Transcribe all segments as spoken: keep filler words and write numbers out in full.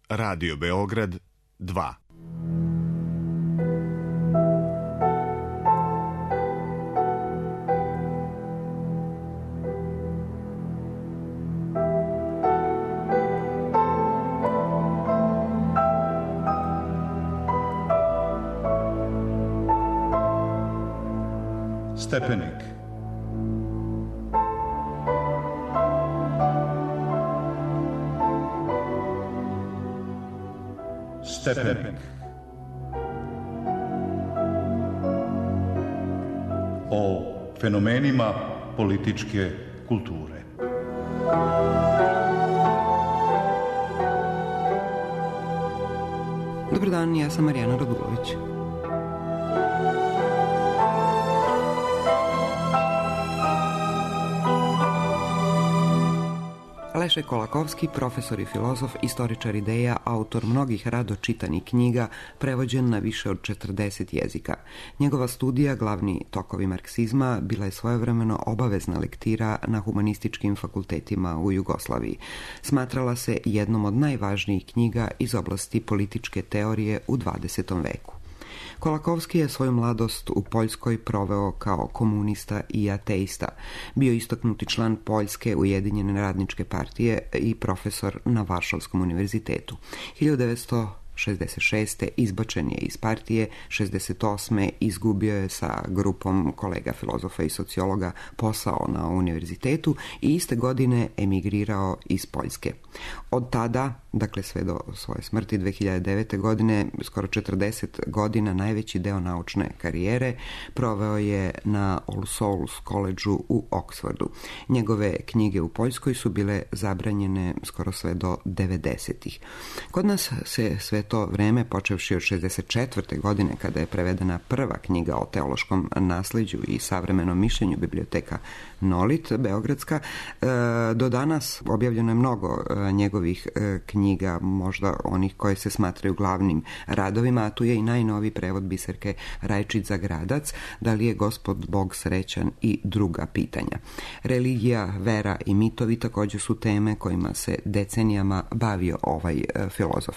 Radio Beograd dva. Stepenik. Stepenik. O fenomenima političke kulture. Dobar dan, ja sam Marijana Radulović. Leše Kolakovski, profesor i filozof, istoričar ideja, autor mnogih rado čitanih knjiga, prevođen na više od četrdeset jezika. Njegova studija, Glavni tokovi marksizma, bila je svojevremeno obavezna lektira na humanističkim fakultetima u Jugoslaviji. Smatrala se jednom od najvažnijih knjiga iz oblasti političke teorije u dvadesetom veku. Kolakovski je svoju mladost u Poljskoj proveo kao komunista i ateista. Bio istaknuti član Poljske ujedinjene radničke partije i profesor na Varšavskom univerzitetu. hiljadu devetsto šezdeset šeste. izbačen je iz partije, šezdeset osme. izgubio je sa grupom kolega filozofa i sociologa posao na univerzitetu i iste godine emigrirao iz Poljske. Od tada, dakle sve do svoje smrti dve hiljade devete. godine, skoro četrdeset godina, najveći deo naučne karijere proveo je na All Souls Collegeu u Oxfordu. Njegove knjige u Poljskoj su bile zabranjene skoro sve do devedesetih. Kod nas se sve to vreme, počevši od šezdeset četvrte. godine, kada je prevedena prva knjiga o teološkom nasleđu i savremenom mišljenju, biblioteka Nolit, beogradska, do danas objavljeno je mnogo njegovih knjiga, možda onih koje se smatraju glavnim radovima, a tu je i najnoviji prevod Biserke Rajčić Zagradac, Da li je Gospod Bog srećan i druga pitanja. Religija, vera i mitovi također su teme kojima se decenijama bavio ovaj filozof.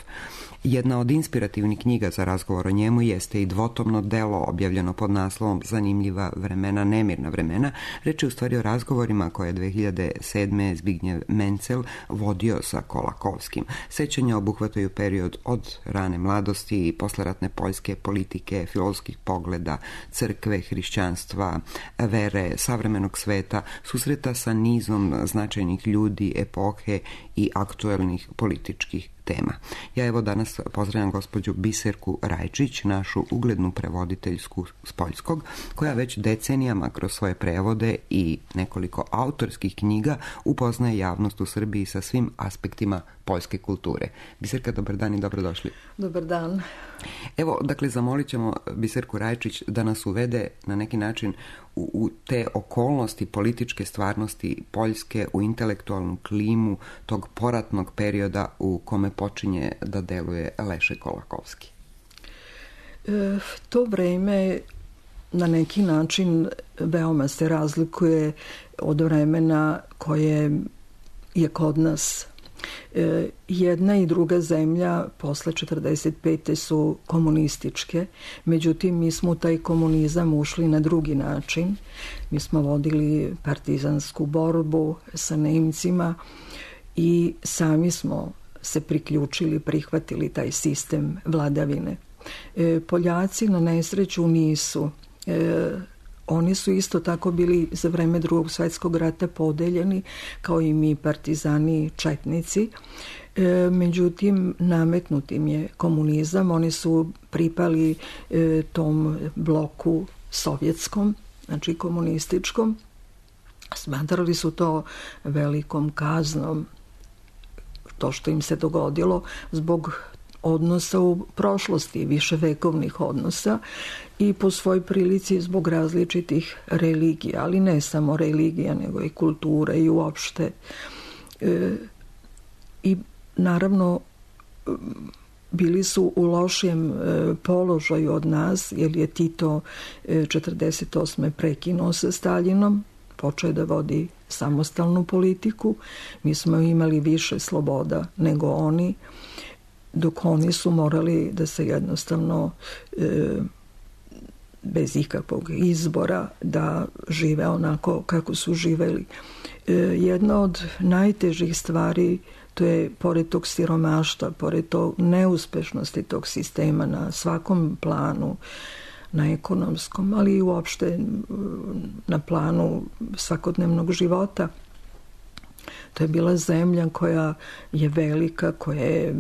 Jedna od inspirativnih knjiga za razgovor o njemu jeste i dvotomno delo objavljeno pod naslovom Zanimljiva vremena, nemirna vremena. Reč je u stvari o razgovorima koje je dve hiljade sedme. Zbignjev Mencel vodio sa Kolakovskim. Sećanja obuhvataju period od rane mladosti i posleratne poljske politike, filozofskih pogleda, crkve, hrišćanstva, vere, savremenog sveta, susreta sa nizom značajnih ljudi, epohe i aktuelnih političkih tema. Ja evo danas pozdravljam gospođu Biserku Rajčić, našu uglednu prevoditeljsku s poljskog, koja već decenijama kroz svoje prevode i nekoliko autorskih knjiga upoznaje javnost u Srbiji sa svim aspektima poljske kulture. Biserka, dobar dan i dobrodošli. Dobar dan. Evo, dakle, zamolit ćemo Biserku Rajčić da nas uvede na neki način u, u te okolnosti političke stvarnosti Poljske, u intelektualnu klimu tog poratnog perioda u kome počinje da deluje Leše Kolakovski. E, to vreme na neki način veoma se razlikuje od vremena koje je kod nas. E, jedna i druga zemlja posle četrdeset pete su komunističke, međutim mi smo u taj komunizam ušli na drugi način. Mi smo vodili partizansku borbu sa Nemcima i sami smo se priključili, prihvatili taj sistem vladavine. E, Poljaci na nesreću nisu. E, Oni su isto tako bili za vreme Drugog svjetskog rata podeljeni, kao i mi partizani četnici. E, međutim, nametnut im je komunizam. Oni su pripali e, tom bloku sovjetskom, znači komunističkom. Smatrali su to velikom kaznom, to što im se dogodilo zbog odnosa u prošlosti, viševekovnih odnosa i po svoj prilici zbog različitih religija, ali ne samo religija, nego i kultura i uopšte. E, I naravno bili su u lošijem e, položaju od nas, jer je Tito e, četrdeset osme prekinuo sa Staljinom, počeo je da vodi samostalnu politiku. Mi smo imali više sloboda nego oni. dok oni su morali da se jednostavno e, bez ikakvog izbora da žive onako kako su živeli. E, jedna od najtežih stvari, to je pored tog siromaštva, pored tog neuspešnosti tog sistema na svakom planu, na ekonomskom, ali i uopšte na planu svakodnevnog života. To je bila zemlja koja je velika, koja je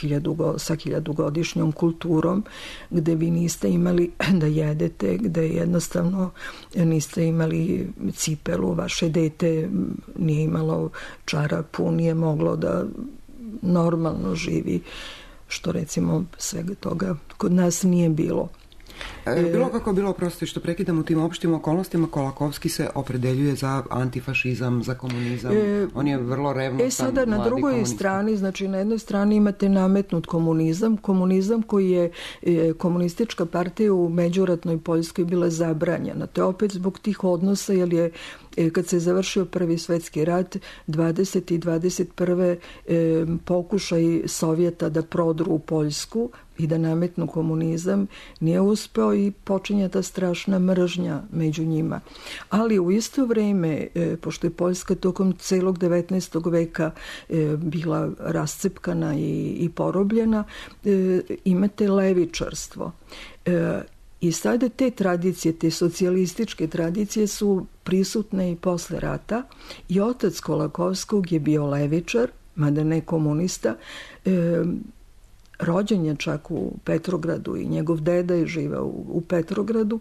hiljadu, sa hiljadugodišnjom kulturom, gde vi niste imali da jedete, gde jednostavno niste imali cipelu, vaše dete nije imalo čarapu, nije moglo da normalno živi, što recimo svega toga kod nas nije bilo. Bilo kako bilo, prosto što prekidam, u tim opštim okolnostima Kolakovski se opredeljuje za antifašizam, za komunizam. E, On je vrlo revnostan. E sada na drugoj komunista. strani, znači na jednoj strani imate nametnut komunizam, komunizam koji je e, komunistička partija u međuratnoj Poljskoj bila zabranjena. To je opet zbog tih odnosa, jer je e, kad se završio Prvi svetski rat, dvadesete i dvadeset prve E, pokušaj Sovjeta da prodru u Poljsku i da nametnu komunizam nije uspeo i počinje ta strašna mržnja među njima. Ali u isto vreme, e, pošto je Poljska tokom celog devetnaestog veka e, bila rascepkana i, i porobljena, e, imate levičarstvo. E, I sada te tradicije, te socijalističke tradicije su prisutne i posle rata i otac Kolakovskog je bio levičar, mada ne komunista, e, rođen je čak u Petrogradu i njegov deda je živeo u, u Petrogradu.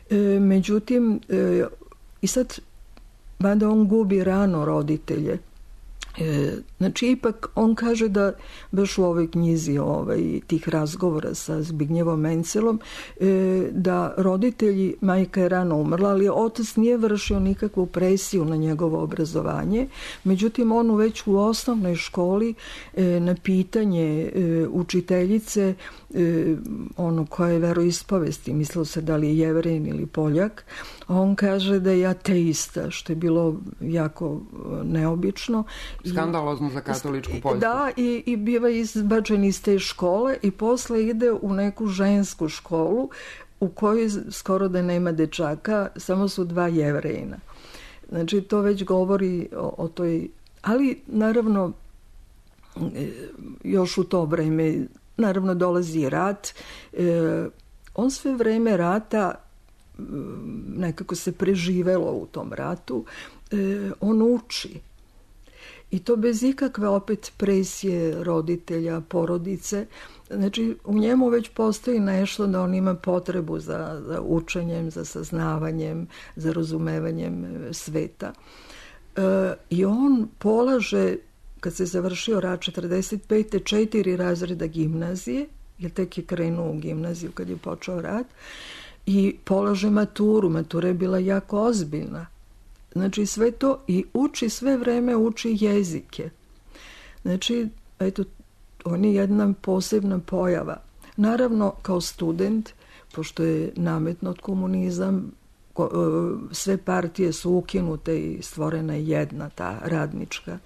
E, međutim, e, i sad, mada on gubi rano roditelje, e, znači ipak on kaže da baš u ovoj knjizi ovaj, tih razgovora sa Zbignjevom Mencelom, e, da roditelji, majka je rano umrla, ali otac nije vršio nikakvu presiju na njegovo obrazovanje. Međutim, on već u osnovnoj školi e, na pitanje e, učiteljice, e, ono koje je veroispovesti, mislilo se da li je Jevrein ili Poljak, on kaže da je ateista, što je bilo jako neobično. Skandalozno za katoličku Poljsku. Da, i, i biva izbačen iz te škole i posle ide u neku žensku školu u kojoj skoro da nema dečaka, samo su dva Jevrejina. Znači, to već govori o, o toj... Ali, naravno, još u to vreme, naravno, dolazi rat. E, on sve vreme rata, nekako se preživelo u tom ratu, e, on uči. I to bez ikakve opet presije roditelja, porodice. Znači, u njemu već postoji nešto da on ima potrebu za, za učenjem, za saznavanjem, za razumevanjem sveta. E, I on polaže, kad se završio rat četrdeset pete četiri razreda gimnazije, jer tek je krenuo u gimnaziju kad je počeo rat, i polaže maturu. Matura je bila jako ozbiljna. Znači sve to i uči, sve vreme uči jezike. Znači, eto, on je jedna posebna pojava. Naravno, kao student, pošto je nametnut komunizam, sve partije su ukinute i stvorena je jedna, ta radnička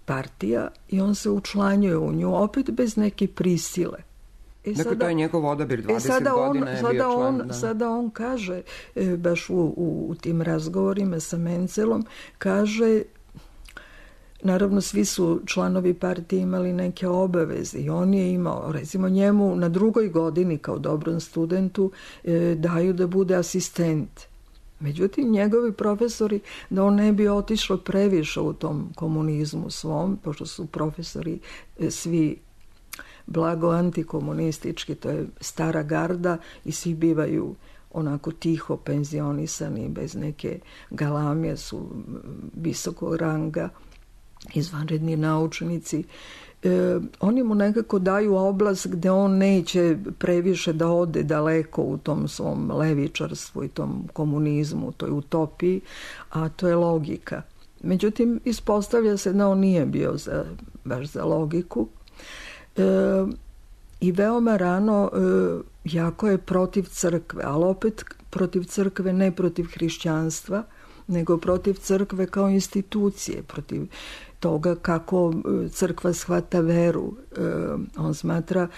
partija, i on se učlanjuje u nju, opet bez neke prisile. E dakle, sada, to je njegov odabir, dvadeset e sada godina on, je sada bio član. On, da. Sada on kaže, e, baš u, u, u tim razgovorima sa Mencelom, kaže, naravno svi su članovi partije imali neke obaveze i on je imao, recimo njemu na drugoj godini kao dobrom studentu e, daju da bude asistent. Međutim, njegovi profesori, da on ne bi otišao previše u tom komunizmu svom, pošto su profesori e, svi blago antikomunistički, to je stara garda i svi bivaju onako tiho penzionisani, bez neke galamije, su visokog ranga, izvanredni naučnici. E, oni mu nekako daju oblast gde on neće previše da ode daleko u tom svom levičarstvu i tom komunizmu, toj utopiji, a to je logika. Međutim, ispostavlja se da on nije bio za, baš za logiku. E, i veoma rano e, jako je protiv crkve, ali opet protiv crkve, ne protiv hrišćanstva, nego protiv crkve kao institucije, protiv toga kako crkva shvata veru. On smatra,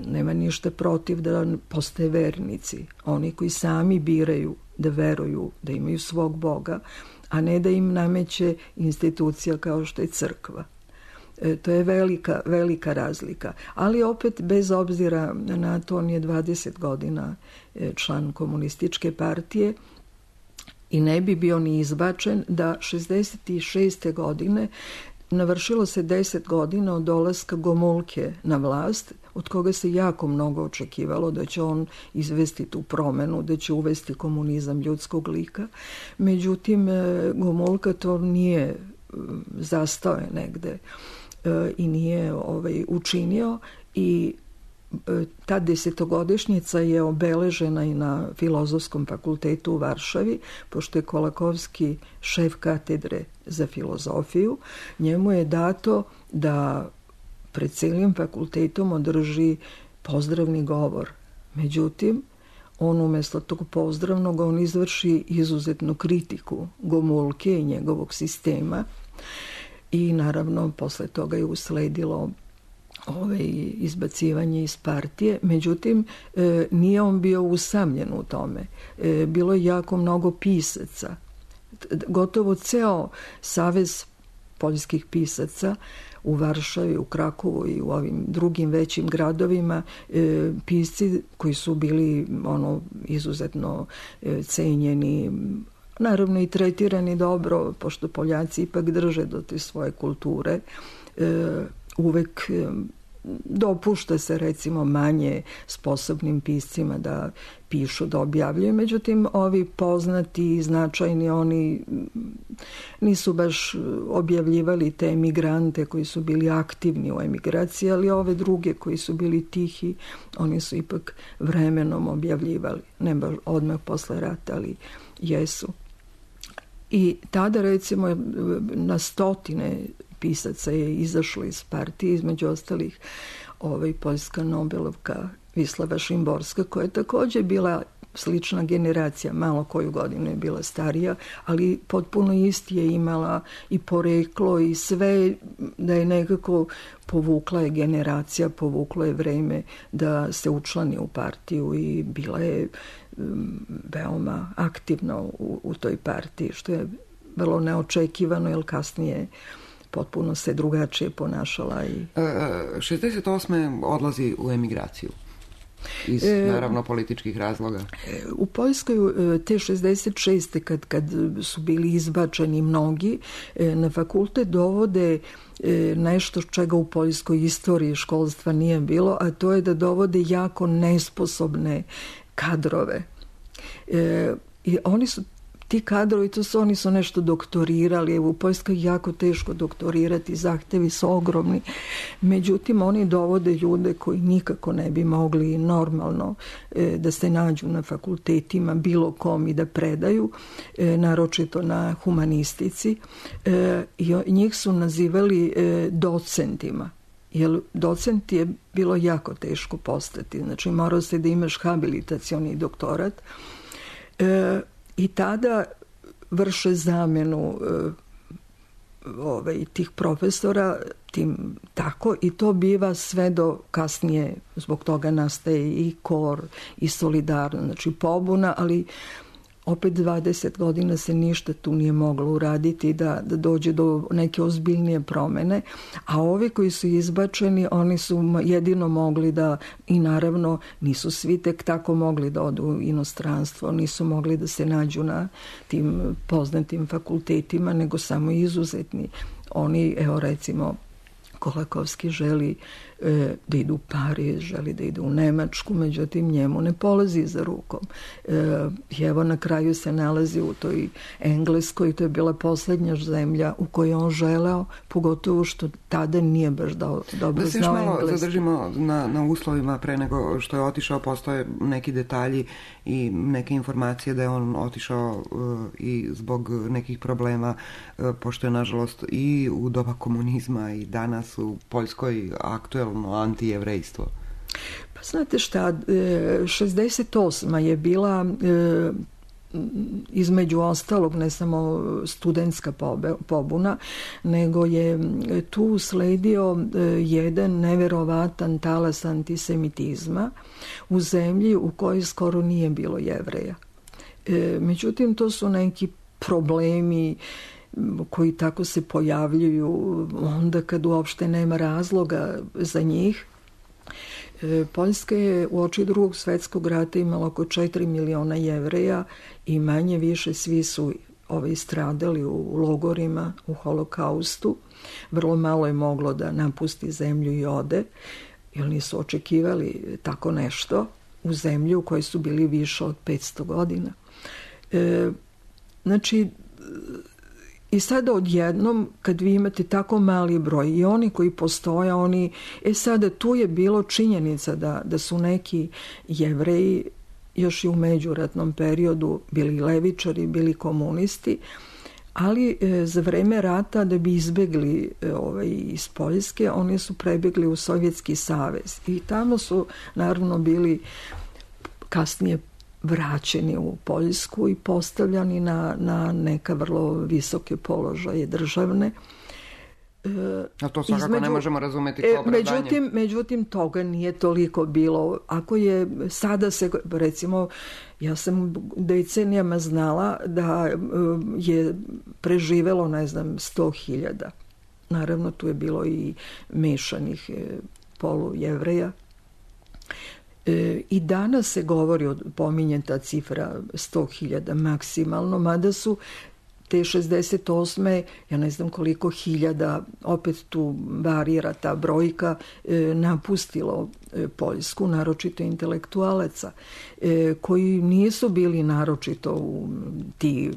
nema ništa protiv da postoje vernici, oni koji sami biraju da veruju, da imaju svog Boga, a ne da im nameće institucija kao što je crkva. E, to je velika, velika razlika. Ali opet, bez obzira na to, on je dvadeset godina član komunističke partije i ne bi bio ni izbačen da šezdeset šeste godine navršilo se deset godina od dolaska Gomulke na vlast, od koga se jako mnogo očekivalo da će on izvesti tu promenu, da će uvesti komunizam ljudskog lika. Međutim, Gomulka to nije, zastao je negde i nije ovaj, učinio, i ta desetogodišnjica je obeležena i na Filozofskom fakultetu u Varšavi, pošto je Kolakovski šef katedre za filozofiju. Njemu je dato da pred cijelim fakultetom održi pozdravni govor. Međutim, on umjesto tog pozdravnog, on izvrši izuzetnu kritiku Gomulke i njegovog sistema, i naravno posle toga je usledilo ovaj, izbacivanje iz partije. Međutim, e, nije on bio usamljen u tome. E, bilo je jako mnogo pisaca. Gotovo ceo savez poljskih pisaca u Varšavi, u Krakovu i u ovim drugim većim gradovima, e, pisci koji su bili ono izuzetno e, cenjeni, naravno i tretirani dobro, pošto Poljaci ipak drže do te svoje kulture, e, uvek e, dopušta se recimo manje sposobnim piscima da pišu, da objavljuju. Međutim, ovi poznati i značajni, oni nisu baš objavljivali te emigrante koji su bili aktivni u emigraciji, ali ove druge koji su bili tihi, oni su ipak vremenom objavljivali. Ne baš odmah posle rata, ali jesu. I tada recimo na stotine pisaca je izašlo iz partije, između ostalih ovaj, poljska Nobelovka Vislava Šimborska, koja je također bila slična generacija, malo koju godinu je bila starija, ali potpuno isti je imala i poreklo i sve, da je nekako povukla je generacija, povuklo je vreme da se učlani u partiju i bila je um, veoma aktivna u, u toj partiji, što je vrlo neočekivano, jer kasnije potpuno se drugačije ponašala. I... šezdeset osme odlazi u emigraciju. Iz, e, naravno, političkih razloga. U Poljskoj te šezdeset šeste kad, kad su bili izbačeni mnogi, na fakultet dovode nešto čega u poljskoj istoriji školstva nije bilo, a to je da dovode jako nesposobne kadrove. E, i oni su ti kadrovi, to su, oni su nešto doktorirali, u Poljskoj je jako teško doktorirati, zahtevi su ogromni. Međutim, oni dovode ljude koji nikako ne bi mogli normalno e, da se nađu na fakultetima, bilo kom, i da predaju, e, naročito na humanistici. E, i njih su nazivali e, docentima. Jer docent je bilo jako teško postati. Znači, morao se da imaš habilitacioni doktorat. E, I tada vrše zamenu e, ovaj, tih profesora tim tako, i to biva sve do kasnije, zbog toga nastaje i KOR i Solidarno, znači pobuna, ali opet dvadeset godina se ništa tu nije moglo uraditi da, da dođe do neke ozbiljnije promene, a ovi koji su izbačeni, oni su jedino mogli da, i naravno nisu svi tek tako mogli da odu u inostranstvo, nisu mogli da se nađu na tim poznatim fakultetima, nego samo izuzetni. Oni, evo recimo, Kolakovski želi e, da idu u Pariz, želi da idu u Nemačku, međutim njemu ne polazi za rukom. E, evo na kraju se nalazi u toj Engleskoj, to je bila posljednja zemlja u kojoj on želeo, pogotovo što tada nije baš do, dobro znao engleski. Da se još malo engleski. zadržimo na, na uslovima pre nego što je otišao, postoje neki detalji i neke informacije da je on otišao uh, i zbog nekih problema, uh, pošto je nažalost i u doba komunizma i danas u Poljskoj aktuelno antijevrejstvo. Pa znate šta, šezdeset osma je bila između ostalog ne samo studentska pobuna, nego je tu sledio jedan neverovatan talas antisemitizma u zemlji u kojoj skoro nije bilo Jevreja. Međutim, to su neki problemi koji tako se pojavljuju onda kad uopšte nema razloga za njih. Poljska je u oči drugog svetskog rata imala oko četiri miliona Jevreja i manje više svi su ovaj, stradali u logorima, u holokaustu. Vrlo malo je moglo da napusti zemlju i ode, jer nisu očekivali tako nešto u zemlju u kojoj su bili više od petsto godina. E, znači, i sada odjednom, kad vi imate tako mali broj i oni koji postoje, oni, e sada tu je bilo činjenica da, da su neki Jevreji još i u međuratnom periodu bili levičari, bili komunisti, ali e, za vreme rata da bi izbegli e, ovaj, iz Poljske, oni su prebegli u Sovjetski savez i tamo su naravno bili kasnije vraćeni u Poljsku i postavljani na, na neka vrlo visoke položaje državne. E, A to svakako između, ne možemo razumeti kao opravdanje. Međutim, međutim, toga nije toliko bilo. Ako je sada se, recimo, ja sam decenijama znala da je preživelo, ne znam, sto hiljada. Naravno, tu je bilo i mešanih polujevreja. I danas se govori, pominje ta cifra sto hiljada maksimalno, mada su te šezdeset osme ja ne znam koliko hiljada, opet tu varira ta brojka, napustilo Poljsku, naročito intelektualaca, koji nisu bili naročito u ti,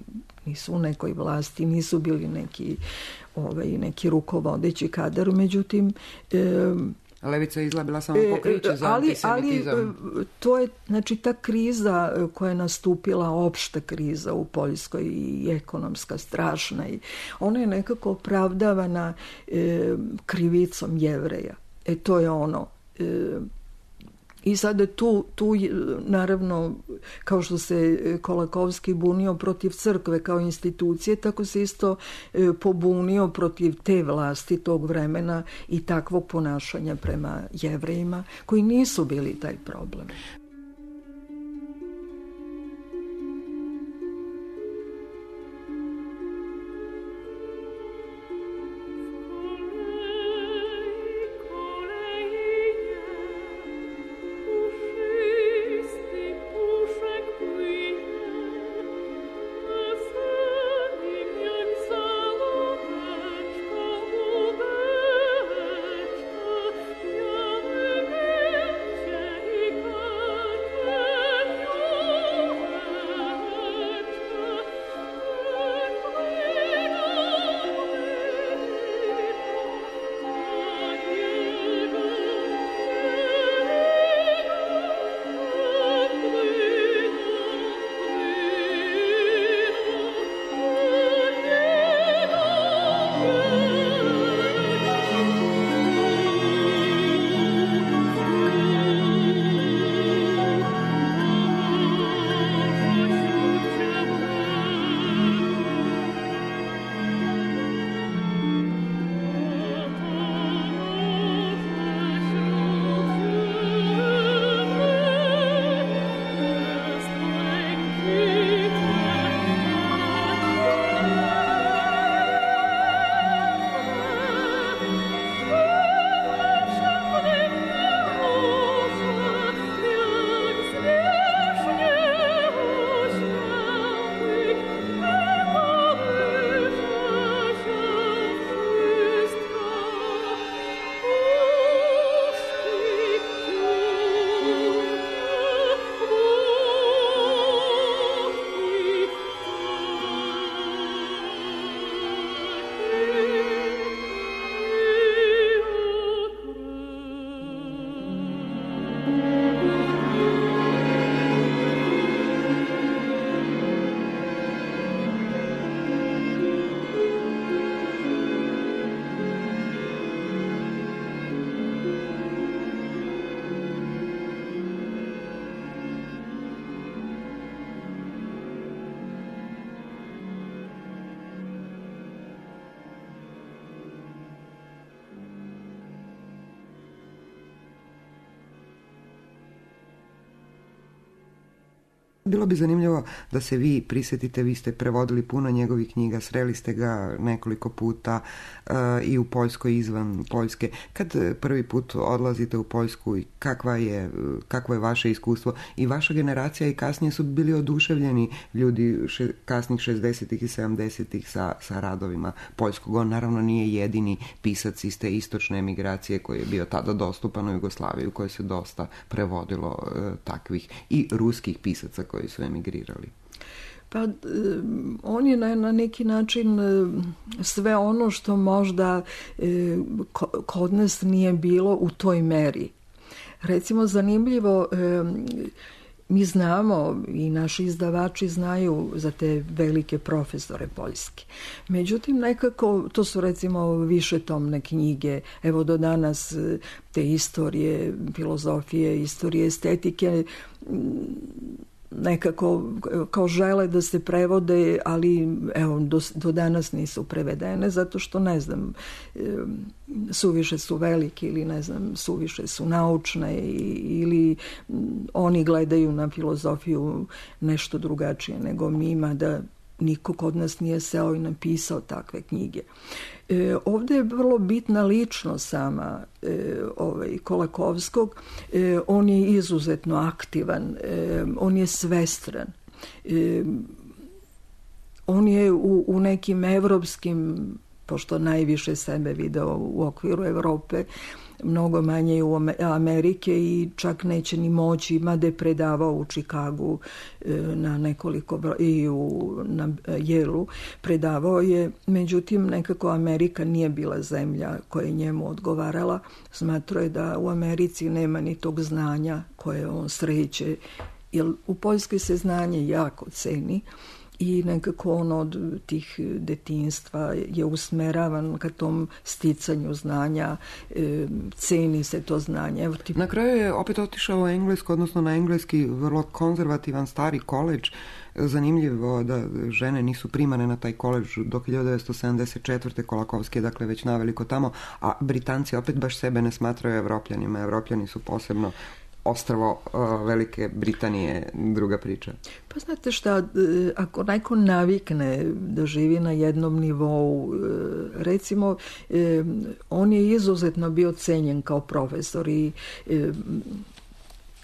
nisu u nekoj vlasti, nisu bili neki, ovaj, neki rukovodeći kadar, međutim, Levica je izlabila samo pokriće za ali, antisemitizam. Ali to je, znači, ta kriza koja je nastupila, opšta kriza u Poljskoj i ekonomska, strašna, i ona je nekako opravdavana e, krivicom Jevreja. E to je ono... E, I sada tu, tu, naravno, kao što se Kolakovski bunio protiv crkve kao institucije, tako se isto pobunio protiv te vlasti tog vremena i takvog ponašanja prema Jevrejima, koji nisu bili taj problem. Thank you. Bilo bi zanimljivo da se vi prisjetite, vi ste prevodili puno njegovih knjiga, sreli ste ga nekoliko puta uh, i u Poljskoj, izvan Poljske. Kad prvi put odlazite u Poljsku i kakva je, kakvo je vaše iskustvo? I vaša generacija i kasnije su bili oduševljeni ljudi še, kasnih šezdesetih i sedamdesetih sa, sa radovima poljskog. On naravno nije jedini pisac iz te istočne emigracije koji je bio tada dostupan u Jugoslaviji, u kojoj se dosta prevodilo uh, takvih i ruskih pisaca koji su emigrirali. Pa on je na, na neki način sve ono što možda kod nas nije bilo u toj meri. Recimo, zanimljivo, mi znamo i naši izdavači znaju za te velike profesore poljske. Međutim, nekako, to su recimo višetomne knjige, evo do danas te istorije, filozofije, istorije estetike, nekako kao žele da se prevode, ali evo do, do danas nisu prevedene zato što ne znam, suviše su veliki ili ne znam, suviše su naučne ili oni gledaju na filozofiju nešto drugačije nego mi, ima da niko kod nas nije seo i napisao takve knjige. E, ovdje je vrlo bitna ličnost sama e, ovaj, Kolakowskog. E, on je izuzetno aktivan, e, on je svestran. E, on je u, u nekim evropskim, pošto najviše sebe video u okviru Evrope, mnogo manje u Amerike i čak neće ni moći, mada je predavao u Čikagu na nekoliko i u, na Yale-u predavao je, međutim nekako Amerika nije bila zemlja koja je njemu odgovarala. Smatrao je da u Americi nema ni tog znanja koje on sreće, jer u Poljskoj se znanje jako ceni i nekako on od tih detinjstva je usmeravan ka tom sticanju znanja, e, ceni se to znanje. Evo, tip... Na kraju je opet otišao u Englesku, odnosno na engleski vrlo konzervativan stari koledž. Zanimljivo da žene nisu primane na taj koledž do hiljadu devetsto sedamdeset četvrte Kolakowski je dakle već naveliko tamo, a Britanci opet baš sebe ne smatraju Evropljanima. Evropljani su posebno ostrvo uh, Velike Britanije, druga priča. Pa znate šta, ako neko navikne da živi na jednom nivou, recimo, on je izuzetno bio cenjen kao profesor i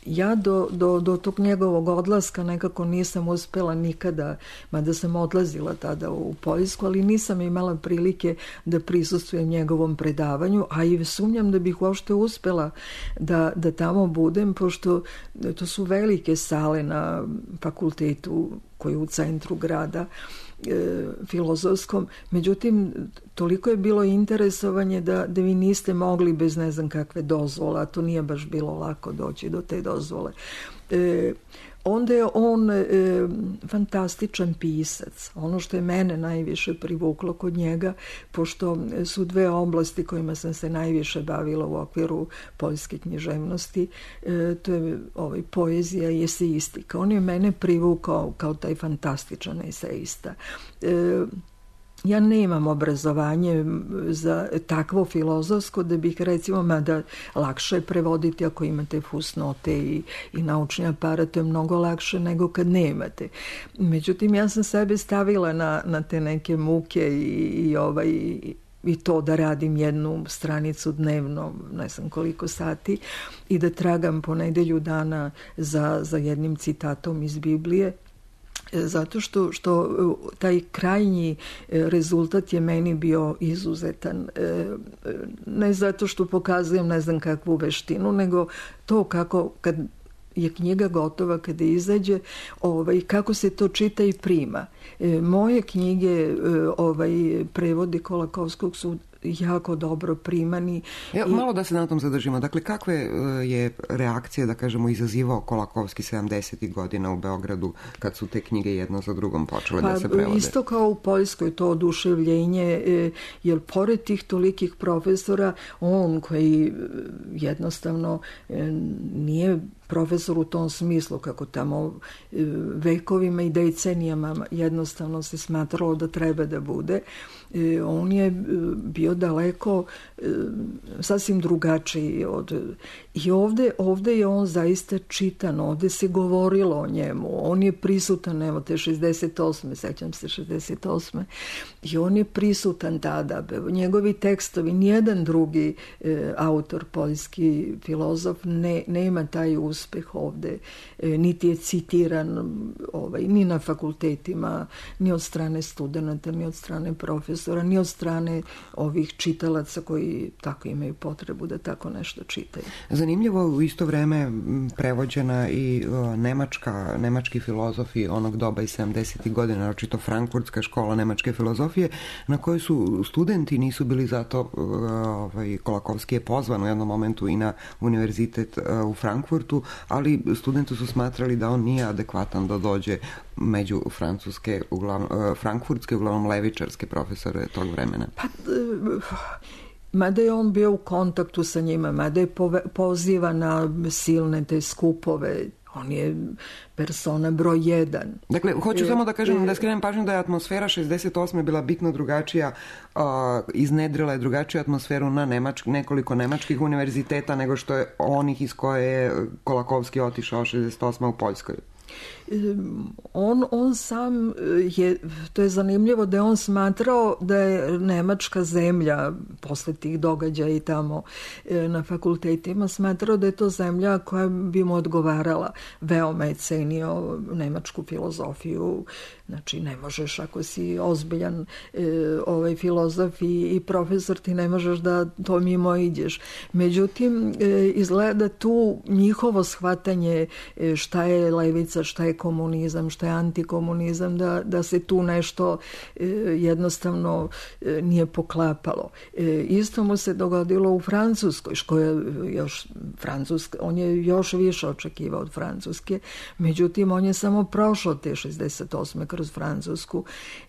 ja do, do, do tog njegovog odlaska nekako nisam uspela nikada, mada sam odlazila tada u Poljsku, ali nisam imala prilike da prisustvujem njegovom predavanju, a i sumnjam da bih uopšte uspela da, da tamo budem, pošto to su velike sale na fakultetu koji je u centru grada, e, filozofskom. Međutim, toliko je bilo interesovanje da, da vi niste mogli bez ne znam kakve dozvole, a to nije baš bilo lako doći do te dozvole. E, onda je on e, fantastičan pisac. Ono što je mene najviše privuklo kod njega, pošto su dve oblasti kojima sam se najviše bavila u okviru poljske književnosti, e, to je ovaj, poezija i eseistika. On je mene privukao kao taj fantastičan eseista. E, Ja nemam obrazovanje za takvo filozofsko da bih recimo, mada lakše je prevoditi ako imate fusnote i, i naučni aparat, to je mnogo lakše nego kad nemate. Međutim, ja sam sebe stavila na, na te neke muke i, i, ovaj, i to da radim jednu stranicu dnevno, ne znam koliko sati, i da tragam po nedelju dana za, za jednim citatom iz Biblije. Zato što, što taj krajnji rezultat je meni bio izuzetan. Ne zato što pokazujem ne znam kakvu veštinu, nego to kako kad je knjiga gotova, kada izađe, ovaj, kako se to čita i prima. Moje knjige, ovaj, prevodi Kolakowskog su jako dobro primani. Ja, malo da se na tom zadržimo. Dakle, kakve je reakcije, da kažemo, izazivao Kolakowski sedamdesetih godina u Beogradu kad su te knjige jedno za drugom počele pa, da se prevode? Isto kao u Poljskoj, to oduševljenje, jer pored tih tolikih profesora, on koji jednostavno nije profesor u tom smislu, kako tamo vekovima i decenijama jednostavno se smatralo da treba da bude. On je bio daleko sasvim drugačiji od... I ovde, ovde je on zaista čitan, ovde se govorilo o njemu, on je prisutan, evo te šezdeset osme, sećam se šezdeset osme, i on je prisutan tada. Njegovi tekstovi, nijedan drugi e, autor, poljski filozof ne, nema taj uspeh ovde, e, niti je citiran ovaj, ni na fakultetima, ni od strane studenta, ni od strane profesora, ni od strane ovih čitalaca koji tako imaju potrebu da tako nešto čitaju. Zanimljivo, u isto vreme prevođena i o, nemačka, nemački filozofi onog doba iz sedamdesetih godina, naročito Frankfurtska škola nemačke filozofije, na kojoj su studenti nisu bili zato, ovaj, Kolakowski je pozvan u jednom momentu i na univerzitet u Frankfurtu, ali studenti su smatrali da on nije adekvatan da dođe među francuske, uglavnom, frankfurtske, uglavnom levičarske profesore tog vremena. Pa, mada je on bio u kontaktu sa njima, mada je poziva na silne te skupove, on je persona broj jedan. Dakle, hoću e, samo da kažem, e, da skrenem pažnju da je atmosfera šezdeset osme bila bitno drugačija, uh, iznedrila je drugačiju atmosferu na nemačk, nekoliko nemačkih univerziteta nego što je onih iz koje je Kolakowski otišao šezdeset osme u Poljskoj. On, on sam je, to je zanimljivo da je on smatrao da je nemačka zemlja posle tih događaja i tamo na fakultetima, smatrao da je to zemlja koja bi mu odgovarala. Veoma je cenio nemačku filozofiju. Znači, ne možeš, ako si ozbiljan e, ovaj filozof i, i profesor, ti ne možeš da to mimo ideš. Međutim, e, izgleda tu njihovo shvatanje e, šta je levica, šta je komunizam, šta je antikomunizam, da, da se tu nešto e, jednostavno e, nije poklapalo. E, isto mu se dogodilo u Francuskoj, koja još Francuska, on je još više očekivao od Francuske, međutim, on je samo prošao te šezdeset osme kroz Francusku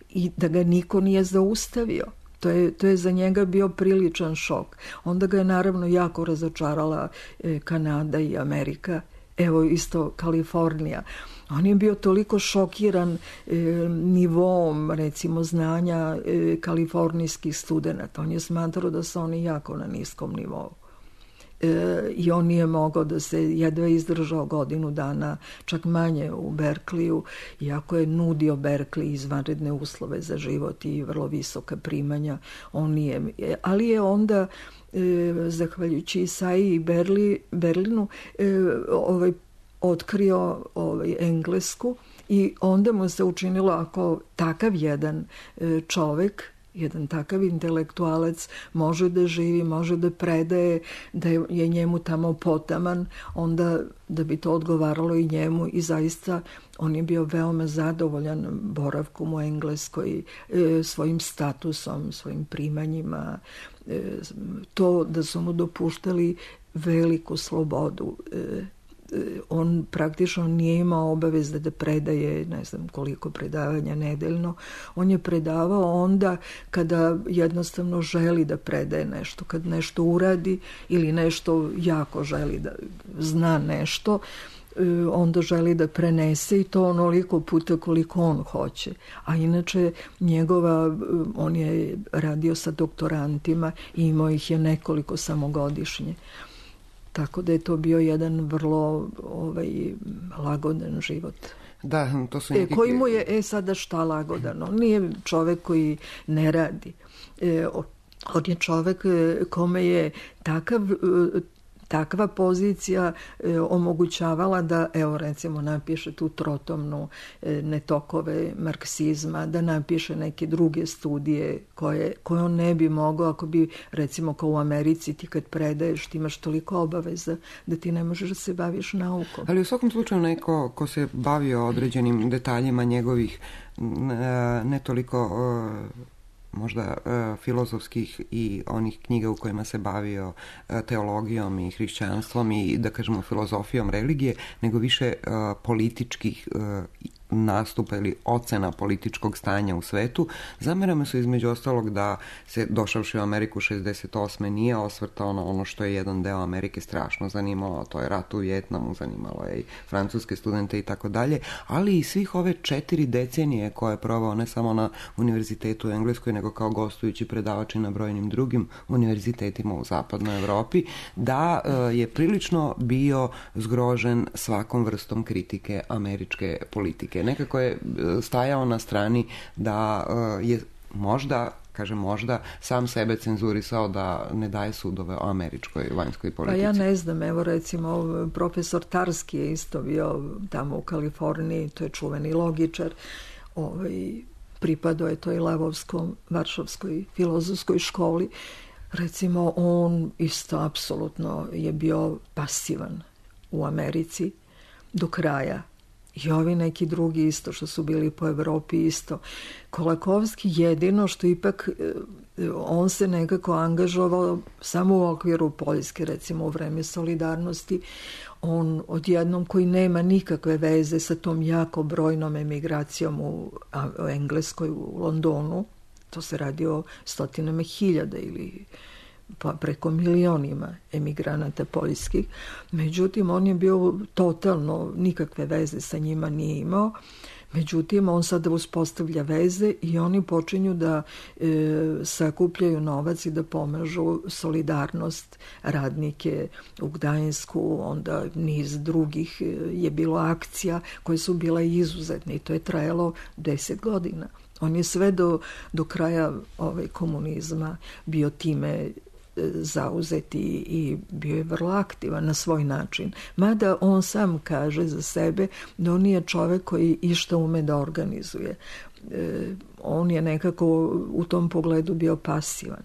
i da ga niko nije zaustavio. To je, to je za njega bio priličan šok. Onda ga je naravno jako razočarala e, Kanada i Amerika. Evo isto Kalifornija. On je bio toliko šokiran e, nivom, recimo, znanja e, kalifornijskih studenata. On je smatrao da su oni jako na niskom nivou. E, i on nije mogao da se jedva izdržao godinu dana, čak manje u Berkliju, iako je nudio Berkley izvanredne uslove za život i vrlo visoka primanja. On nije, ali je onda e, zahvaljujući Isaiji i Berli, Berlinu e, ovaj, otkrio ovaj, Englesku i onda mu se učinilo, ako takav jedan e, čovek, jedan takav intelektualac može da živi, može da predaje, da je njemu tamo potaman, onda da bi to odgovaralo i njemu i zaista on je bio veoma zadovoljan boravkom u Engleskoj, e, svojim statusom, svojim primanjima, e, to da su mu dopuštali veliku slobodu. E, on praktično nije imao obaveze da predaje ne znam koliko predavanja nedeljno. On je predavao onda kada jednostavno želi da predaje nešto, kad nešto uradi ili nešto jako želi da zna nešto, onda želi da prenese i to onoliko puta koliko on hoće. A inače njegova, on je radio sa doktorantima i imao ih je nekoliko samogodišnje. Tako da je to bio jedan vrlo ovaj, lagodan život. Da, to su neki... E, koji mu je, e sada šta lagodan? On nije čovek koji ne radi. E, on je čovek kome je takav... takva pozicija e, omogućavala da, evo recimo, napiše tu trotomnu e, netokove marksizma, da napiše neke druge studije koje, koje on ne bi mogao ako bi, recimo, kao u Americi ti kad predaješ, ti imaš toliko obaveza da ti ne možeš da se baviš naukom. Ali u svakom slučaju neko ko se bavio određenim detaljima njegovih ne toliko... možda uh, filozofskih i onih knjiga u kojima se bavio uh, teologijom i hrišćanstvom i, da kažemo, filozofijom religije, nego više uh, političkih uh, nastupa ili ocena političkog stanja u svetu. Zamerame su između ostalog da se došavši u Ameriku šezdeset osme nije osvrtao na ono što je jedan deo Amerike strašno zanimalo, a to je rat u Vijetnamu, zanimalo je i francuske studente i tako dalje, ali i svih ove četiri decenije koje je provao ne samo na univerzitetu u Engleskoj, nego kao gostujući predavač i na brojnim drugim univerzitetima u zapadnoj Evropi, da je prilično bio zgrožen svakom vrstom kritike američke politike. Nekako je stajao na strani da je možda, kažem možda, sam sebe cenzurisao da ne daje sudove o američkoj vanjskoj politici. Pa ja ne znam, evo recimo profesor Tarski je isto bio tamo u Kaliforniji, to je čuveni logičar, ovaj, pripadao je toj Levovskom varšavskoj filozofskoj školi. Recimo on isto apsolutno je bio pasivan u Americi do kraja. I ovi neki drugi isto što su bili po Evropi isto. Kolakovski jedino što ipak on se nekako angažovao samo u okviru Poljske, recimo u vreme solidarnosti. On odjednom koji nema nikakve veze sa tom jako brojnom emigracijom u, u Engleskoj, u Londonu, to se radi o stotinama hiljada ili pa preko milionima emigranata poljskih. Međutim, on je bio totalno, nikakve veze sa njima nije imao. Međutim, on sada uspostavlja veze i oni počinju da e, sakupljaju novac i da pomažu solidarnost, radnike u Gdańsku, onda niz drugih je bilo akcija koje su bile izuzetne i to je trajalo deset godina. On je sve do, do kraja ovaj, komunizma bio time zauzeti i bio je vrlo aktivan na svoj način. Mada on sam kaže za sebe da on nije čovek koji išta ume da organizuje. E, on je nekako u tom pogledu bio pasivan.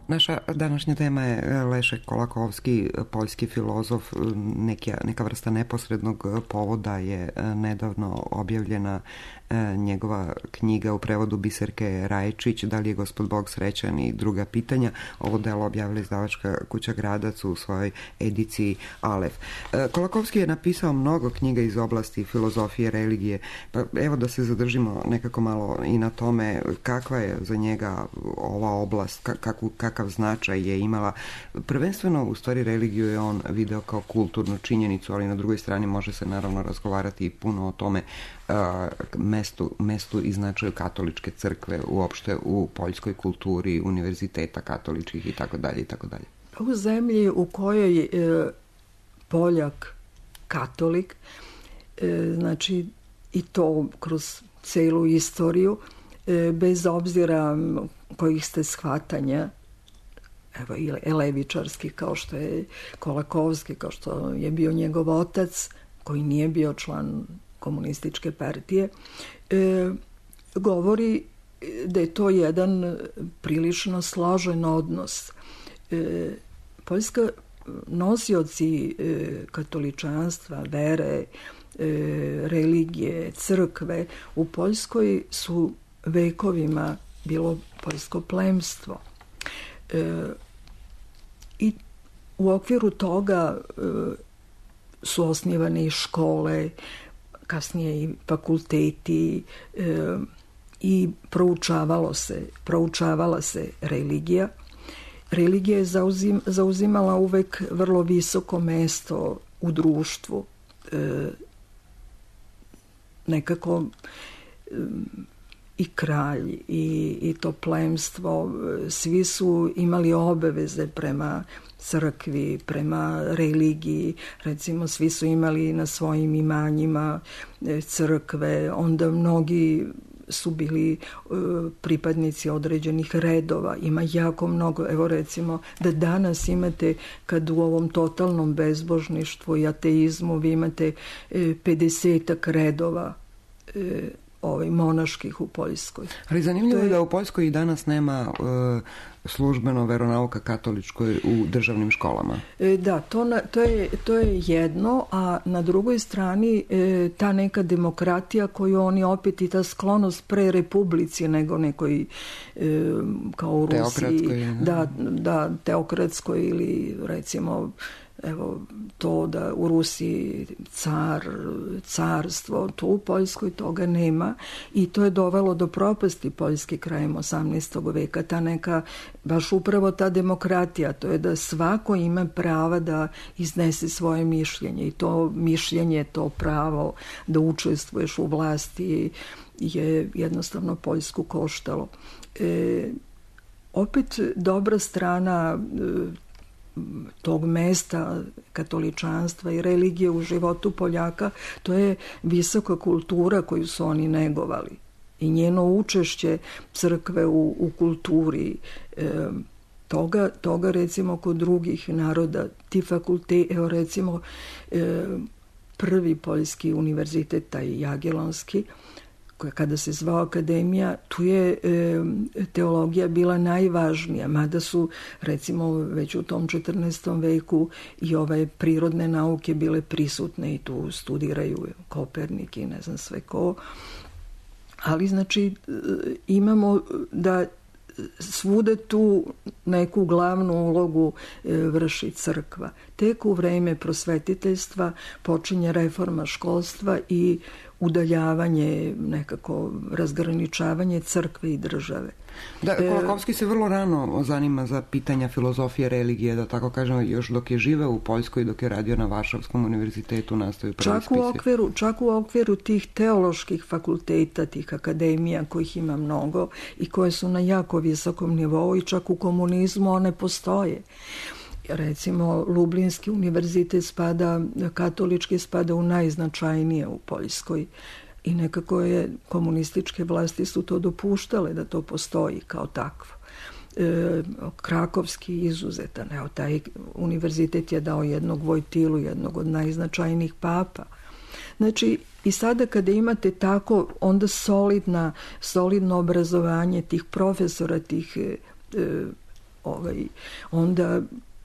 Naša današnja tema je Lešek Kolakovski, poljski filozof. Neka, neka vrsta neposrednog povoda je nedavno objavljena njegova knjiga u prevodu Biserke Rajčić, Da li je gospod Bog srećan i druga pitanja. Ovo delo objavila izdavačka kuća Gradac u svojoj ediciji Alef. Kolakovski je napisao mnogo knjiga iz oblasti filozofije, religije, pa evo da se zadržimo nekako malo i na tome kakva je za njega ova oblast, kakvu, kakav značaj je imala. Prvenstveno, u stvari, religiju je on video kao kulturnu činjenicu, ali na drugoj strani može se naravno razgovarati i puno o tome uh, mestu, mestu i značaju katoličke crkve uopšte u poljskoj kulturi, univerziteta katoličkih i tako dalje i tako dalje. U zemlji u kojoj e, Poljak katolik, e, znači i to kroz celu istoriju, e, bez obzira kojih ste shvatanja, evo i levičarski, kao što je Kolakovski, kao što je bio njegov otac, koji nije bio član komunističke partije, e, govori da je to jedan prilično složen odnos. E, Poljska nosioci e, katoličanstva, vere, e, religije, crkve u Poljskoj su vekovima bilo poljsko plemstvo. E, I u okviru toga e, su osnivane i škole, kasnije i fakulteti, e, i proučavalo se, proučavala se religija. Religija je zauzim, zauzimala uvek vrlo visoko mesto u društvu. E, nekako e, i kralj i, i to plemstvo, svi su imali obaveze prema crkvi, prema religiji. Recimo, svi su imali na svojim imanjima crkve, onda mnogi su bili uh, pripadnici određenih redova. Ima jako mnogo, evo recimo da danas imate, kad u ovom totalnom bezbožništvu i ateizmu vi imate uh, pedesetak redova uh, ovaj, monaških u Poljskoj. Ali zanimljivo je da u Poljskoj i danas nema uh, službeno veronauka katoličkoj u državnim školama. E, da, to, na, to, je, to je jedno, a na drugoj strani e, ta neka demokratija koju oni opet i ta sklonost pre republici nego nekoj e, kao u Rusiji. Da, da, teokratskoj ili recimo evo to da u Rusiji car, carstvo, to u Poljskoj toga nema i to je dovelo do propasti Poljske krajem osamnaestog veka. Ta neka, baš upravo ta demokratija, to je da svako ima prava da iznese svoje mišljenje i to mišljenje, to pravo da učestvuješ u vlasti je jednostavno Poljsku koštalo. E, opet dobra strana e, tog mesta katoličanstva i religije u životu Poljaka, to je visoka kultura koju su oni negovali i njeno učešće crkve u, u kulturi. E, toga, toga recimo kod drugih naroda, ti fakulteti, evo recimo e, prvi poljski univerzitet, taj Jagiellonski, koja kada se zvao akademija, tu je e, teologija bila najvažnija, mada su recimo već u tom četrnaestom veku i ove prirodne nauke bile prisutne i tu studiraju Kopernik i ne znam sve ko. Ali znači imamo da svude tu neku glavnu ulogu e, vrši crkva. Tek u vreme prosvetiteljstva počinje reforma školstva i udaljavanje, nekako razgraničavanje crkve i države. Da, Kolakovski se vrlo rano zanima za pitanja filozofije, religije, da tako kažemo, još dok je živeo u Poljskoj, dok je radio na Varšavskom univerzitetu, nastaju prvi čak u okviru, čak u okviru tih teoloških fakulteta, tih akademija, kojih ima mnogo i koje su na jako visokom nivou i čak u komunizmu one postoje. Recimo, Lublinski univerzitet spada, katolički spada u najznačajnije u Poljskoj i nekako je komunističke vlasti su to dopuštale da to postoji kao takvo. E, Krakovski izuzetan, evo taj univerzitet je dao jednog Vojtilu, jednog od najznačajnijih papa. Znači, i sada kada imate tako onda solidna, solidno obrazovanje tih profesora, tih e, ovaj, onda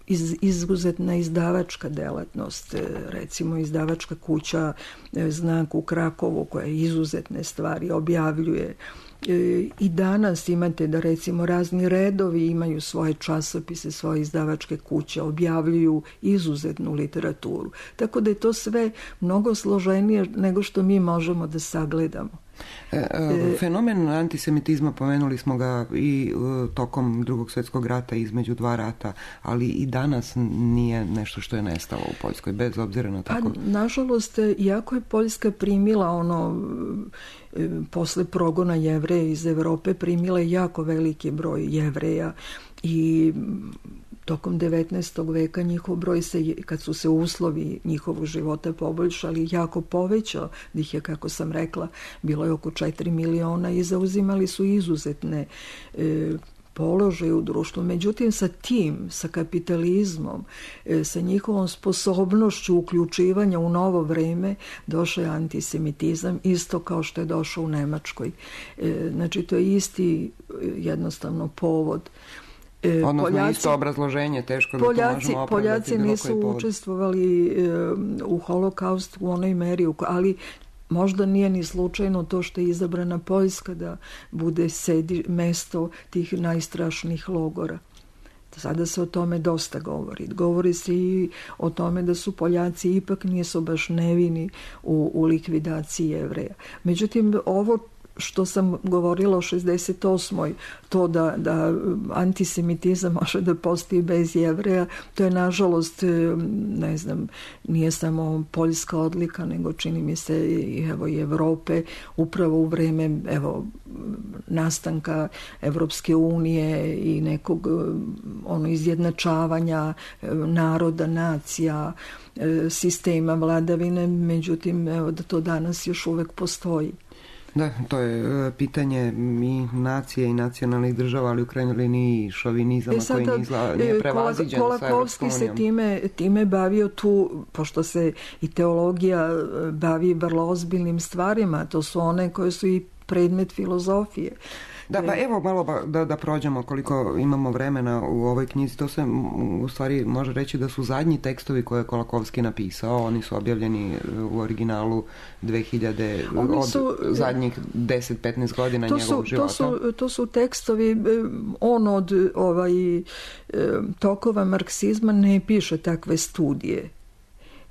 Iz, izuzetna izdavačka delatnost, recimo izdavačka kuća Znak u Krakovu koja izuzetne stvari objavljuje. I danas imate da recimo razni redovi imaju svoje časopise, svoje izdavačke kuće, objavljuju izuzetnu literaturu. Tako da je to sve mnogo složenije nego što mi možemo da sagledamo. Fenomen antisemitizma, pomenuli smo ga i tokom Drugog svjetskog rata, između dva rata, ali i danas nije nešto što je nestalo u Poljskoj, bez obzira na tako... Pa, nažalost, iako je Poljska primila ono, posle progona Jevreja iz Evrope, primila je jako veliki broj Jevreja i tokom devetnaestog veka njihov broj se, kad su se uslovi njihovog života poboljšali, jako povećao, da ih je, kako sam rekla, bilo je oko četiri miliona i zauzimali su izuzetne e, položaje u društvu. Međutim, sa tim, sa kapitalizmom, e, sa njihovom sposobnošću uključivanja u novo vreme, došao je antisemitizam, isto kao što je došao u Nemačkoj. E, znači, to je isti jednostavno povod. E, Odnosno Poljaci, isto obrazloženje, teško da Poljaci, to možemo opravdati. Poljaci nisu učestvovali e, u holokaustu u onoj meri, ali možda nije ni slučajno to što je izabrana Poljska da bude sedi, mesto tih najstrašnijih logora. Sada se o tome dosta govori. Govori se i o tome da su Poljaci ipak nisu baš nevini u, u likvidaciji Jevreja. Međutim, ovo što sam govorila o šezdeset osmoj to da, da antisemitizam može da postoji bez Jevreja, to je nažalost, ne znam, nije samo poljska odlika, nego čini mi se i, evo, i Evrope, upravo u vreme evo, nastanka Evropske unije i nekog ono, izjednačavanja naroda, nacija, sistema vladavine, međutim, evo, da to danas još uvek postoji. Da, to je pitanje i nacije i nacionalnih država, ali u krajnjoj liniji šovinizama e sada, koji nizla, nije prevaziđen sa Evropskom unijom. Se time, time bavio tu, pošto se i teologija bavi vrlo ozbiljnim stvarima, to su one koje su i predmet filozofije. Da, pa evo malo da, da prođemo koliko imamo vremena u ovoj knjizi. To se u stvari može reći da su zadnji tekstovi koje je Kolakowski napisao. Oni su objavljeni u originalu dve hiljade su, od zadnjih deset do petnaest godina to njegovog su, života. To su, to su tekstovi, on od ovaj, tokova marksizma ne piše takve studije.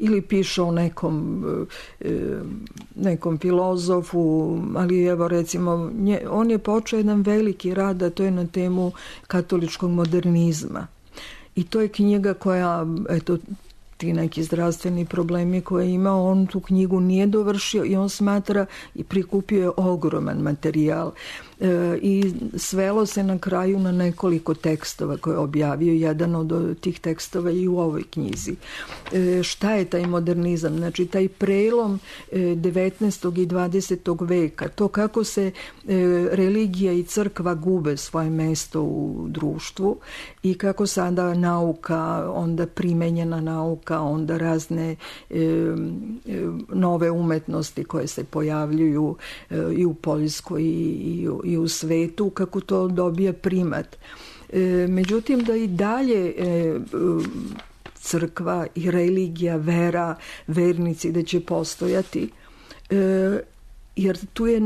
Ili piše o nekom, nekom filozofu, ali evo recimo, nje, on je počeo jedan veliki rad, a to je na temu katoličkog modernizma. I to je knjiga koja, eto, ti neki zdravstveni problemi koje je imao, on tu knjigu nije dovršio i on smatra i prikupio je ogroman materijal. E, i svelo se na kraju na nekoliko tekstova koje je objavio. Jedan od tih tekstova i u ovoj knjizi. E, šta je taj modernizam? Znači, taj prelom e, devetnaestog i dvadesetog veka, to kako se e, religija i crkva gube svoje mesto u društvu i kako sada nauka, onda primenjena nauka, onda razne e, e, nove umetnosti koje se pojavljuju e, i u Poljskoj i, i, i u svetu, kako to dobija primat. E, međutim, da i dalje e, crkva i religija, vera, vernici da će postojati, e, jer tu je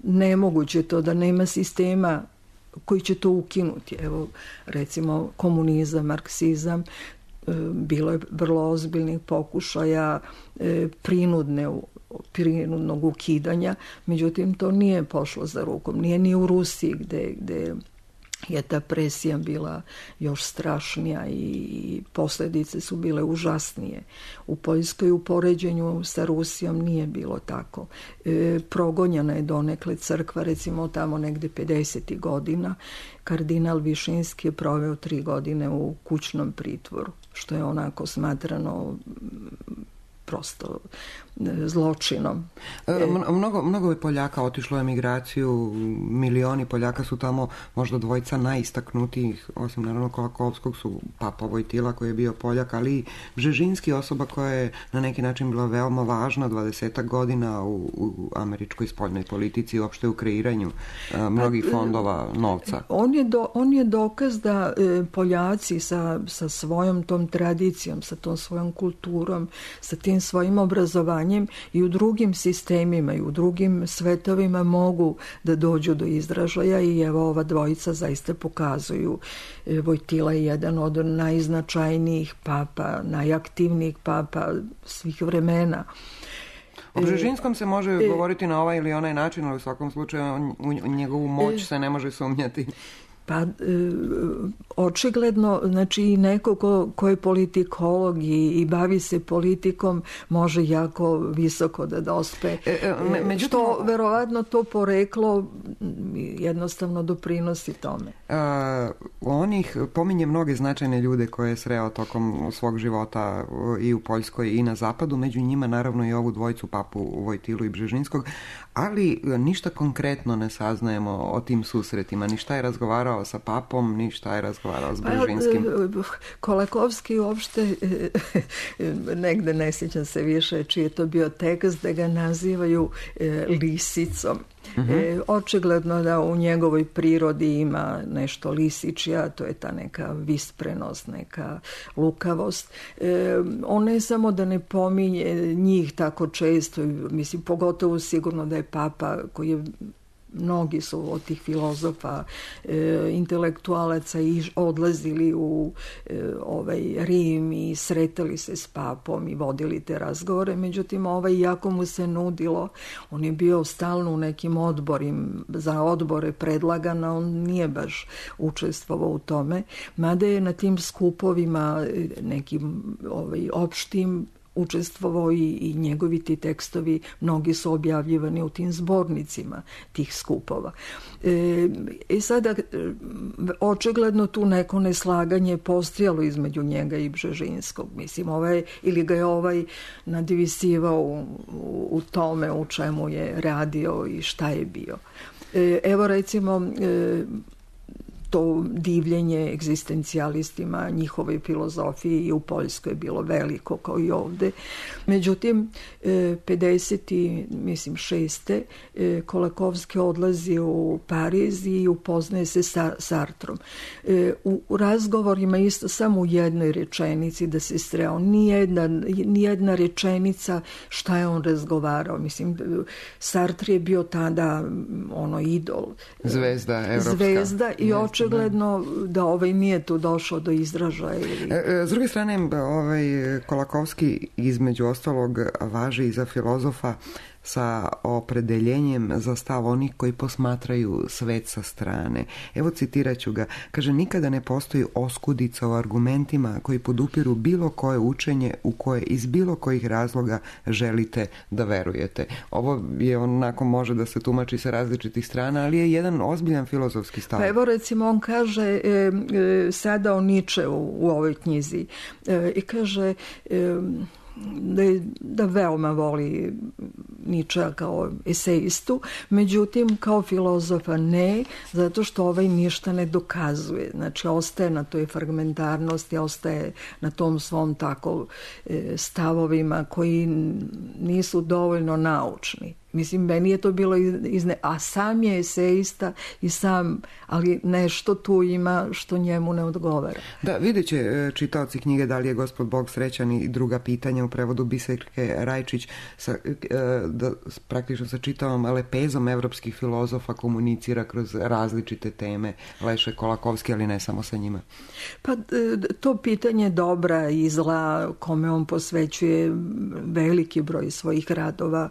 nemoguće to da nema sistema koji će to ukinuti. Evo, recimo, komunizam, marksizam, e, bilo je vrlo ozbiljnih pokušaja e, prinudne prinudnog ukidanja, međutim to nije pošlo za rukom. Nije ni u Rusiji gde, gde je ta presija bila još strašnija i posljedice su bile užasnije. U Poljskoj u poređenju sa Rusijom nije bilo tako. E, progonjena je donekle crkva, recimo tamo negde pedesetih godina. Kardinal Višinski je proveo tri godine u kućnom pritvoru, što je onako smatrano prosto zločinom. E, mnogo, mnogo je Poljaka otišlo u emigraciju, milioni Poljaka su tamo, možda dvojica najistaknutijih, osim naravno Kolakowskog, su Papa Vojtila koji je bio Poljak, ali i Bžežinski, osoba koja je na neki način bila veoma važna dvadesetak godina u, u američkoj spoljnoj politici i uopšte u kreiranju a, mnogih fondova novca. On je, do, on je dokaz da e, Poljaci sa, sa svojom tom tradicijom, sa tom svojom kulturom, sa tim svojim obrazovanjem i u drugim sistemima i u drugim svetovima mogu da dođu do izražaja i evo ova dvojica zaista pokazuju. Vojtila je jedan od najznačajnijih papa, najaktivnijih papa svih vremena. O Bžežinskom se može e, govoriti na ovaj ili onaj način, ali u svakom slučaju on, u njegovu moć e, se ne može sumnjati. Pa, e, očigledno, znači i neko ko, ko je politikolog i, i bavi se politikom može jako visoko da dospe. E, e, me, međutim, što verovatno to poreklo jednostavno doprinosi tome. A, on ih pominje mnoge značajne ljude koje je sreo tokom svog života i u Poljskoj i na zapadu, među njima naravno i ovu dvojicu, papu Vojtilu i Bžežinskog, ali ništa konkretno ne saznajemo o tim susretima, ni šta je razgovarao sa papom, ni šta je razgovarao s Bžežinskim. Kolakovski uopšte negde ne sjećam se više čiji je to bio tekst, da ga nazivaju lisicom. Uh-huh. E, očigledno da u njegovoj prirodi ima nešto lisičja, to je ta neka visprenost, neka lukavost. E, on ne samo da ne pominje njih tako često, mislim, pogotovo sigurno da je papa koji je mnogi su od tih filozofa, e, intelektualaca i odlazili u e, ovaj Rim i sretali se s papom i vodili te razgovore. Međutim, ovaj, jako mu se nudilo, on je bio stalno u nekim odborima, za odbore predlagana, on nije baš učestvovao u tome, mada je na tim skupovima nekim ovaj, opštim učestvovao i, i njegovi ti tekstovi, mnogi su objavljivani u tim zbornicima tih skupova. E, i sada očigledno tu neko neslaganje postojalo između njega i Bžežinskog. Mislim, ovaj, ili ga je ovaj nadvisivao u, u, u tome u čemu je radio i šta je bio. E, evo recimo e, to divljenje egzistencijalistima, njihovoj filozofiji i u Poljskoj je bilo veliko kao i ovde. Međutim, pedeset mislim šeste Kolakovski odlazi u Pariz i upoznaje se sa Sartrom. U razgovorima isto samo u jednoj rečenici da se sreo. Nijedna, nijedna rečenica šta je on razgovarao. Mislim, Sartre je bio tada ono idol. Zvezda evropska. Zvezda i očigledno očigledno da ovaj nije tu došao do izražaja. Ili... S druge strane, ovaj Kolakovski između ostalog važi i za filozofa sa opredeljenjem za stav onih koji posmatraju svet sa strane. Evo citirat ću ga. Kaže, nikada ne postoji oskudica u argumentima koji podupiru bilo koje učenje u koje iz bilo kojih razloga želite da verujete. Ovo je onako može da se tumači sa različitih strana, ali je jedan ozbiljan filozofski stav. Pa evo recimo on kaže e, e, sada o Niče u, u ovoj knjizi e, i kaže e, Da, da veoma voli Ničea kao esejistu, međutim kao filozofa ne, zato što ovaj ništa ne dokazuje. Znači ostaje na toj fragmentarnosti, ostaje na tom svom tako e, stavovima koji nisu dovoljno naučni. Mislim, meni je to bilo izne... A sam je esejista i sam, ali nešto tu ima što njemu ne odgovara. Da, vidjet će čitaoci knjige Da li je Gospod Bog srećan i druga pitanja u prevodu Biserke Rajčić sa, da, praktično sa čitavom lepezom evropskih filozofa komunicira kroz različite teme Leše Kolakovski, ali ne samo sa njima. Pa to pitanje dobra i zla kome on posvećuje veliki broj svojih radova,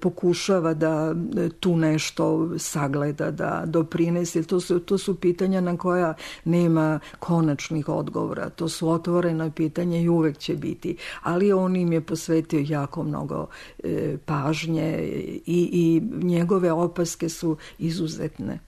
pokušava pokušava da tu nešto sagleda, da doprinese. To su, to su pitanja na koja nema konačnih odgovora. To su otvorena pitanja i uvek će biti. Ali on im je posvetio jako mnogo e, pažnje i, i njegove opaske su izuzetne.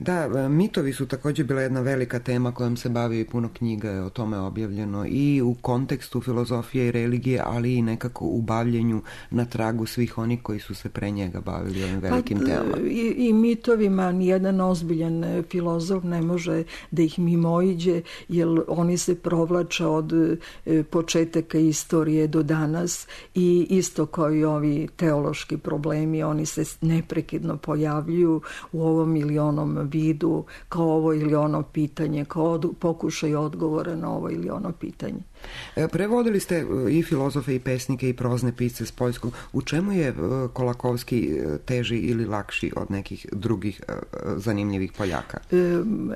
Da, mitovi su također bila jedna velika tema kojom se bavi i puno knjiga je o tome objavljeno i u kontekstu filozofije i religije, ali i nekako u bavljenju na tragu svih onih koji su se pre njega bavili ovim velikim pa, temama. I, i mitovima nijedan ozbiljan filozof ne može da ih mimoiđe, jer oni se provlače od početaka istorije do danas i isto kao i ovi teološki problemi, oni se neprekidno pojavljuju u ovom ili onom vidu, kao ovo ili ono pitanje, kao od, pokušaj odgovora na ovo ili ono pitanje. Prevodili ste i filozofe i pesnike i prozne pisce s poljskog. U čemu je Kolakowski teži ili lakši od nekih drugih zanimljivih Poljaka?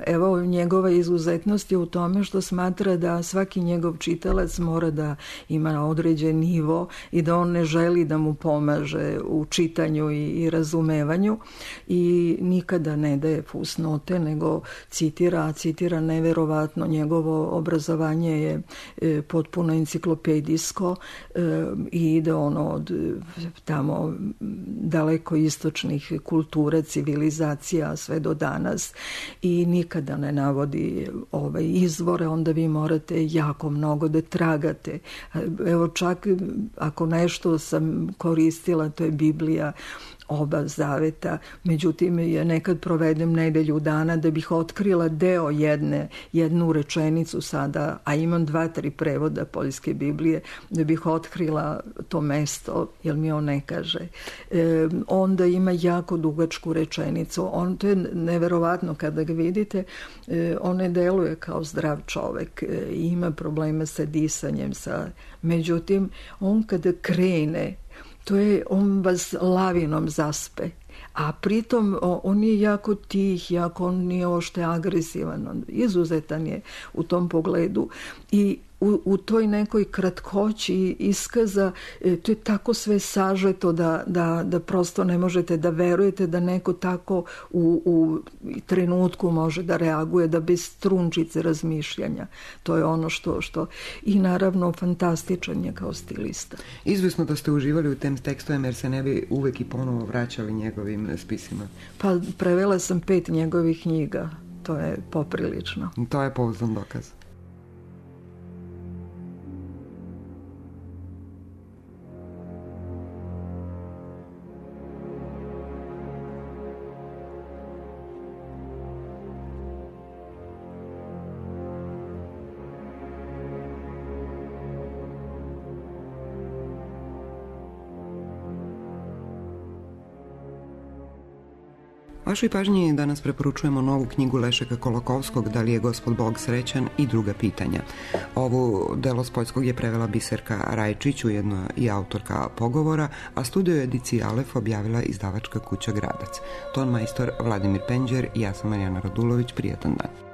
Evo, njegova izuzetnost je u tome što smatra da svaki njegov čitalac mora da ima određen nivo i da on ne želi da mu pomaže u čitanju i, i razumevanju i nikada ne daje fusnote, nego citira, citira neverovatno. Njegovo obrazovanje je e, potpuno enciklopedijsko e, i ide ono od tamo daleko istočnih kultura, civilizacija sve do danas i nikada ne navodi ove izvore, onda vi morate jako mnogo da tragate. Evo, čak ako nešto sam koristila, to je Biblija, oba zaveta, međutim ja nekad provedem nedelju dana da bih otkrila deo jedne, jednu rečenicu sada, a imam dva, tri prevoda poljske Biblije, da bih otkrila to mesto, jer mi on ne kaže. E, onda ima jako dugačku rečenicu. On, to je neverovatno kada ga vidite, e, on ne deluje kao zdrav čovek, e, ima problema sa disanjem, sa... međutim, on kada krene, to je, on vas lavinom zaspe. A pritom on je jako tih, jako on nije ošte agresivan, on izuzetan je u tom pogledu i u, u toj nekoj kratkoći iskaza e, to je tako sve sažeto da, da, da prosto ne možete da verujete da neko tako u, u trenutku može da reaguje, da bez trunčice razmišljanja. To je ono što, što i naravno fantastičan je kao stilista. Izvisno da ste uživali u tem tekstovima jer se ne bi uvek i ponovo vraćali njegovim spisima. Pa prevela sam pet njegovih knjiga. To je poprilično. To je pouzdan dokaz. Vašoj pažnji danas preporučujemo novu knjigu Lešeka Kolakowskog Da li je Gospod Bog srećan i druga pitanja. Ovu delo s poljskog je prevela Biserka Rajčić, ujedno i autorka pogovora, a studio ediciji Alef objavila izdavačka kuća Gradac. Ton majstor Vladimir Penđer i ja sam Marijana Radulović. Prijatan dan.